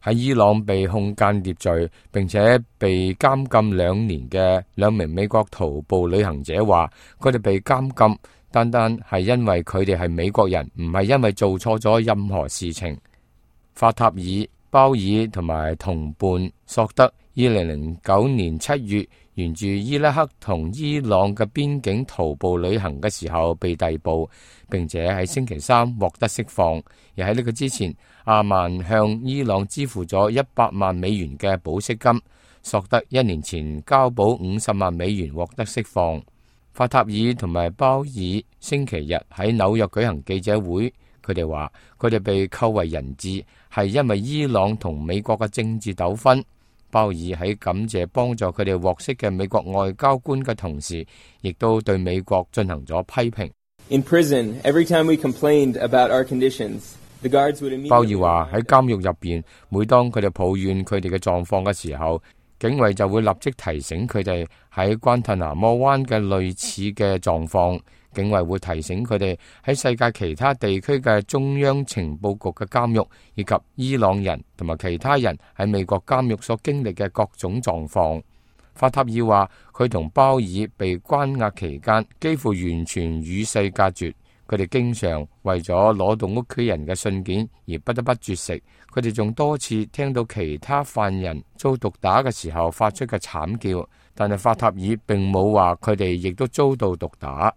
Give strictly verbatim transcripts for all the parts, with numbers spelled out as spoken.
喺伊朗被控間諜罪並且被監禁兩年嘅兩名美國徒步旅行者話，佢哋被監禁單單係因為佢哋係美國人，唔係因為做錯咗任何事情。法塔爾、鮑爾同埋同伴索德，二零零九年七月沿住伊拉克同伊朗嘅邊境徒步旅行嘅時候被逮捕，並且喺星期三獲得釋放。而喺呢個之前，阿曼向伊朗支付咗一百萬美元嘅保釋金。索德一年前交保五十萬美元獲得釋放。法塔爾同埋鮑爾星期日喺紐約舉行記者會，佢哋話佢哋被扣為人質係因為伊朗同美國嘅政治糾紛。鮑爾喺感謝幫助佢哋獲釋嘅美國外交官嘅同時，亦都對美國進行咗批評。In prison, every time we complained about our conditions, the guards would immediately... 鮑爾話喺監獄入邊，每當佢哋抱怨佢哋嘅狀況嘅時候，警衛就會立即提醒佢哋喺關塔那摩灣嘅類似嘅狀況。警衛會提醒佢哋喺世界其他地區嘅中央情報局嘅監獄，以及伊朗人同埋其他人喺美國監獄所經歷嘅各種狀況。法塔爾話佢同鮑爾被關押期間幾乎完全與世隔絕，佢哋經常為咗攞到屋企人嘅信件而不得不絕食。佢哋仲多次聽到其他犯人遭毒打嘅時候發出嘅慘叫，但係法塔爾並冇話佢哋亦都遭到毒打。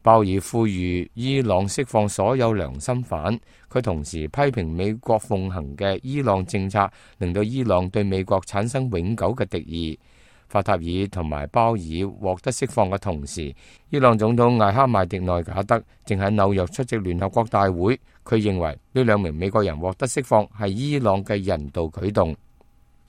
鮑爾呼籲伊朗釋放所有良心犯，佢同時批評美國奉行嘅伊朗政策，令到伊朗對美國產生永久嘅敵意。法塔爾同埋鮑爾獲得釋放嘅同時，伊朗總統艾哈邁迪內賈德正喺紐約出席聯合國大會，佢認為呢兩名美國人獲得釋放係伊朗嘅人道舉動。